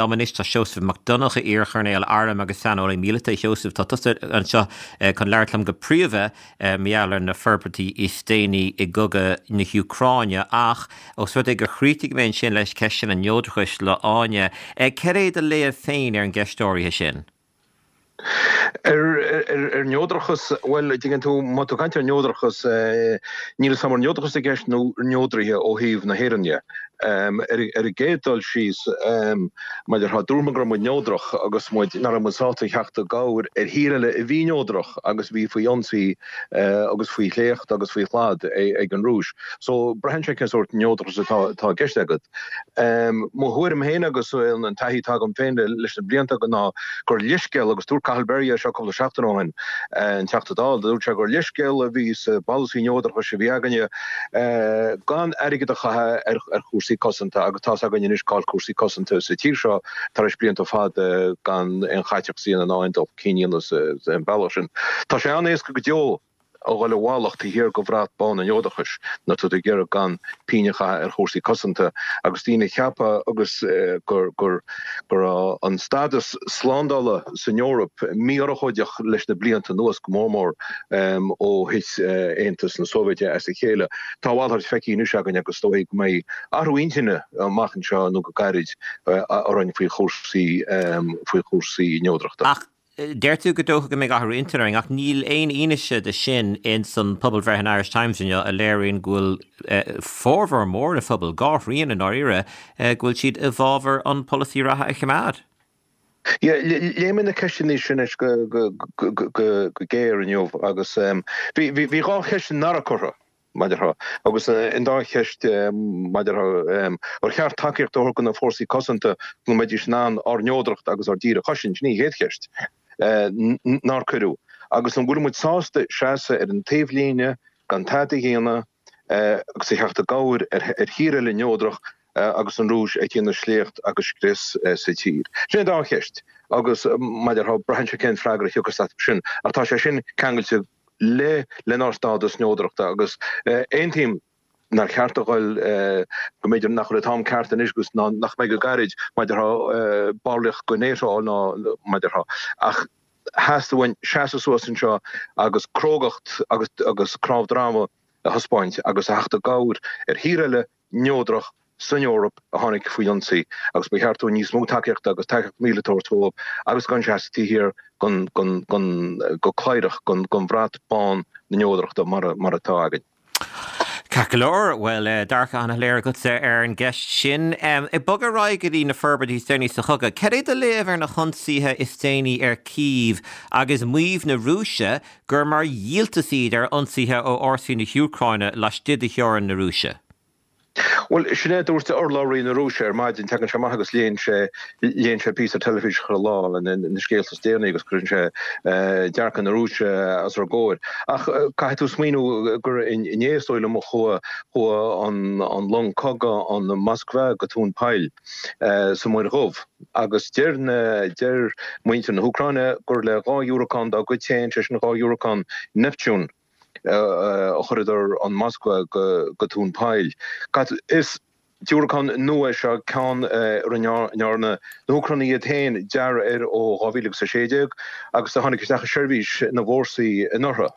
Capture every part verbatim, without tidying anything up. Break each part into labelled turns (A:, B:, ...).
A: Liom anois tá Seosamh Mac Donncha, iar-choirnéal airm agus saineolaí míleata. Sheosamh, tá tusa anseo chun labhairt liom go príomha mar gheall ar na forbairtí is déanaí i gcogadh na hÚcráine, ach os rud é gur chríochnaigh mé ansin leis ceist an neodrachais le Áine, cad é do léamh féin ar an gceist áirithe sin?
B: Ar ar neodrachas, bhuel, tuigeann tú, má tá tú ag caint ar neodrachas, níl a fhios agam an neodrachas i gceist nó neodraithe ó thaobh na hÉireann dhe. Ar an gcéad dul síos, mar a déarfá, dúirt muid go raibh muid neodrach agus muid, nach raibh muid sásta theacht i gcabhair ar thír eile a bhí neodrach agus a bhí faoi ionsaí agus faoi shléacht agus faoi shlad ag an Rúis. So, braitheann sé cén sórt neodrachas atá i gceist agat. Mo thuairim féin agus an taithí atá agam féin leis na blianta ná gur leithscéal, agus dúirt Cathal Berry é seo cúpla seachtain ó shin, an Teachta Dála, dúirt sé gur leithscéal a bhí sa bpolasaí neodrachais a bhí againne gan airgead a chaitheamh ar chúrsaí cosanta agus tá's againn anois cá'il cúrsaí cosanta sa tír seo tar éis blianta fada gan aon chaiteachas a dhéanamh ná aon dul chun cinn a dhéanamh sa bhealach sin. Tá sé an-éasca go deo a dhul i bhfolach taobh thiar de bhrat bán an neodrachais nuair atá tú ag iarraidh gan pingin a chaitheamh ar chúrsaí cosanta agus daoine ag ceapadh agus gur gur go raibh an stádas slándála san Eoraip mí-urchóideach leis na blianta anuas, go mór mór ó thit Aontas na Sóivéide as a chéile. Tá a mhalairt feicthe anois againn agus is dóigh go mbeidh athrú intinne amach anseo nó go gairid orainn faoi chúrsaí faoi chúrsaí neodrachta.
A: Ach deir tú go dócha go mbeidh athrú intinne orainn, ach níl aon fhianaise de sin ins an pobalbhreith in Irish Times inniu a léiríonn go bhfuil formhór mór na phobail, dhá thrian i ndáiríre, go bhfuil siad i bhfabhar an polasaí reatha a choimeád.
B: Léigh mé na ceisteanna sin anois go géar inniu agus bhí dhá cheist nach raibh curtha. Mar a déarfá, agus an dá cheist mar a déarfá, ar cheart tacaíocht a thabhairt do na fórsaí cosanta go mbeidís in ann ár neodracht agus ár dtír a chosaint, sin í an chéad cheist nár cuireadh. Agus an bhfuil muid sásta seasamh ar an taobhlíne gan tada a dhéanamh agus a theacht i gcabhair ar thír eile neodrach agus an Rúis ag déanamh sléacht agus scrios sa tír? Sin an dá cheist agus mar a déarfá, braitheann sé cén freagra a thiocfas as sin ach tá sé sin ceangailte le lenár stádas neodrachta agus aontaím nár cheart a dhul go mb'fhéidir nach bhfuil an t-am ceart anois agus ná nach mbeidh go gairid mar a déarfá ballraíocht go NATO ná mar a déarfá ach theastaigh uainn seasamh suas anseo agus crógacht agus agus cnámh droma a thaispeáint agus a theacht i gcabhair ar thír eile neodrach san Eoraip a tháinig faoi ionsaí agus ba cheart dúinn níos mó tacaíochta agus tacaíocht mhíleata a thabhairt dóibh agus gan seasamh taobh thiar den, go cladhrach, den bhrat bán na neodrachta mar atá againn.
A: Ceart go leor, bhuel, dearcadh an-shoiléir agatsa ar an gceist sin. Ag bogadh ar aghaidh go dtí na forbairtí is déanaí sa chogadh, cad é do léamh ar na hionsaithe is déanaí ar Kyiv agus maíomh na Rúise gur mar dhíoltas iad ar ionsaithe ó fhórsaí na hÚcráine laistigh de theorainn na Rúise?
B: Bhuel, sin é a dúirt urlabhraí na Rúise ar maidin. Tagann sé amach agus léann sé, léann sé píosa teilifíse chuile lá le na scéalta is déanaí agus cuireann sé dearcadh na Rúise os ár gcomhair. Ach caithfidh tú smaoineamh gur inné is dóigh liom a chuaigh, chuaigh an, an long cogaidh, an Moskva go Tóin Poill sa Mhuir Dhubh agus deir na, deir muintir na hÚcráine gur le dhá dhiúracán dá gcuid féin, sé sin dhá dhiúracán Neptune, a chuireadar an Moskva go Tóin Poill. Is diúracán nua é seo, ceann a ndearna na hÚcránaigh iad féin dearadh air ó dhá mhíle agus a sé déag agus a tháinig isteach i seirbhís na bhfórsaí anuraidh.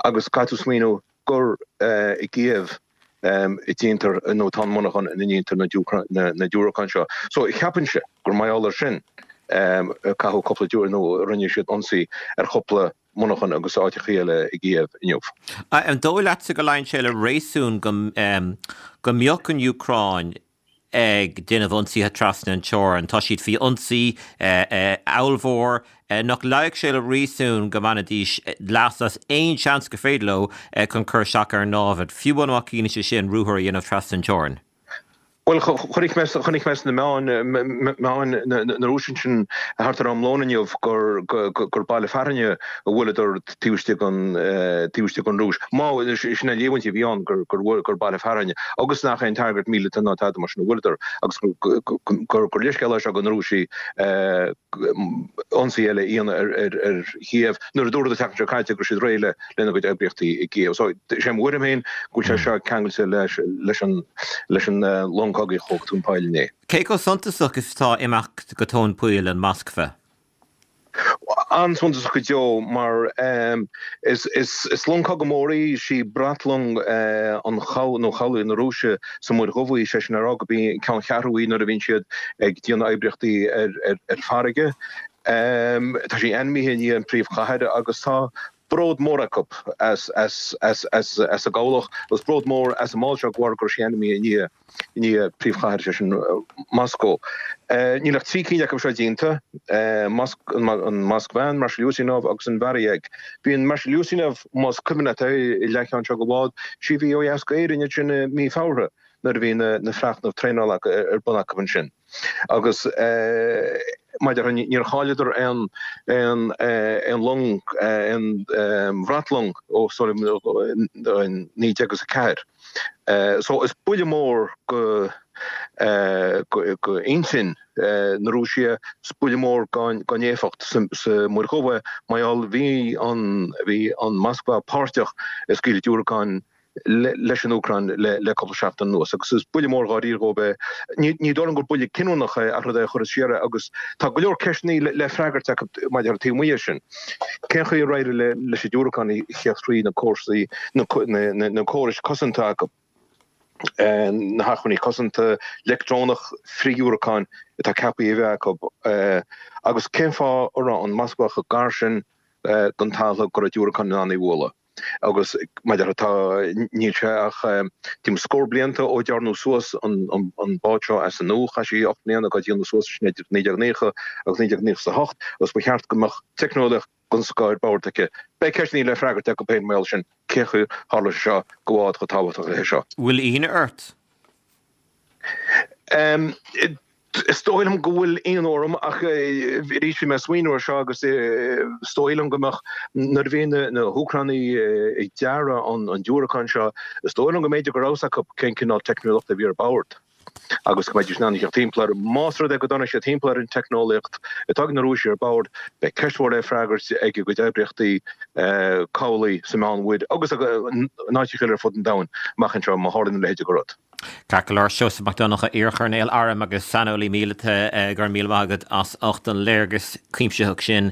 B: Agus caithfidh tú smaoineamh gur i gCíév a déantar nó tá an monarchan ina ndéantar na diúracáin seo. So cheapfainnse gur mar gheall air sin a caitheadh cúpla diúracán nó a rinne siad ionsaí ar chúpla monarchan agus áiteachaí eile i gCíév inniu.
A: An dóigh leatsa go luíonn sé le réasún go go mbeadh an Úcráin ag déanamh ionsaithe trasna an teorainn? Tá siad faoi ionsaí ollmhór. Nach luífeadh sé le réasún go mbainfidís leas as aon seans gur féidir leo chun cur isteach ar an námhaid, fiú amháin má chiallaíonn sé sin ruathar a dhéanamh trasna an teorainn?
B: Bhuel, chonaic mé, chonaic mé sna meáin, meáin na Rúise ansin thart ar am lóin inniu gur, gur gur baile fearainne a bhuaileadar taobh istigh den taobh istigh den Rúis. Má sin an líomhaint a bhí ann gur gur gur baile fearainne agus nach aon target míleata ná tada mar sin a bhuaileadar agus gur gur leithscéal é seo do na Rúisigh ionsaí eile a dhéanamh ar ar ar Chíév nuair a dúradh an tseachtain seo caite go raibh siad réidh le lena gcuid oibríochtaí i gCíév. So sé mo thuairim féin go bhfuil sé seo ceangailte leis leis an leis an long cogaidh a chuaigh go tóin poill inné.
A: Cé chomh suntasach is atá imeacht go tóin poill an Moskva?
B: An-suntasach go deo mar is is is long cogaidh mór í, sí bratlong an chabhlaigh nó chabhlaigh na Rúise sa Muir Dhubh í, sé sin a rá gurb í an ceanncheathrú í nuair a bhíonn siad ag déanamh oibríochtaí ar ar ar farraige. Tá sí ainmnithe i ndiaidh an príomhchathair agus tá bród mór acu as as as as as a gcabhlach agus bród mór as an mbád seo de bharr go raibh sí ainmnithe i ndiaidh i ndiaidh príomhchathair, sé sin Moscó. Níl ach trí cinn acu seo déanta, an Moskva, an Marshal Ustinov agus an Varyag. Bhí an Marshal Ustinov, más cuimhin leat é, i leathcheann seo den bhád, sí a bhí ó dheas d'Éirinn ansin i mí Feabhra nuair a bhí na freachnaimh traenála ar bun acu ansin. Agus maidir níor chailleadar aon aon aon long aon bhratlong ó sorry naoi déag is a ceathair. So is buille mór go go intinn na Rúise, is buille mór gan gan éifeacht sa Muir Dhubh é mar gheall bhí an bhí an Moskva páirteach i scaoileadh diúracán leis an Úcráin le cúpla seachtain anuas agus is buille mór dháiríre dhóibh é. Ní dóigh liom gur buille cinniúnach é ach rud é a chuirfeas siar é agus tá go leor ceisteanna le freagairt acu maidir le taobh amuigh de sin. Cén chaoi ar éirigh leis an diúracán a theacht thrí na córais na córais cosanta acu, na hacmhainní cosanta leictreonach frithdhiúracáin atá ceaptha a bheith acu agus cén fáth a raibh an Moskva chomh gar sin don talamh go raibh diúracán in ann í a bhualadh? Agus maidir tá, níl sé ach timpeall scór blianta ó dearnadh suas an bád seo as an nua, chaith sí ocht mbliana dhá déanamh suas, sin idir naoi déag naocha agus naoi déag naocha is a hocht, agus ba cheart go mbeadh teicneolaíocht den scoth ar bord aici. Beidh ceisteanna le freagairt acu féin mar gheall sin, cén chaoi ar tharla sé seo do bhád chomh tábhachtach le seo.
A: Bhfuil ionadh ort?
B: Is dóigh liom go bhfuil ionadh orm ach arís bhí mé ag smaoineamh air seo agus is dóigh liom go mbeadh nuair a bhí na hÚcránaigh ag dearadh an diúracáin seo, is dóigh liom go mb'fhéidir go raibh fhios acu cén cineál teicneolaíochta a bhí ar bord agus go mbeidís in ann a theacht timpeall air. Más rud é go dtáinig siad timpeall ar an teicneolaíocht atá ag na Rúisigh ar bord, beidh ceist mhór le freagairt ag a gcuid oibríochtaí cabhlaigh sa Meánmhuir agus in áiteacha eile ar fud an domhain amach anseo má tharlaíonn a leithéid de rud.
A: Ceart go leor, Seosamh Mac Donncha, iarchoirnéal airm agus saineolaí míleata, go raibh míle maith agat as ucht an léargas cuimsitheach sin.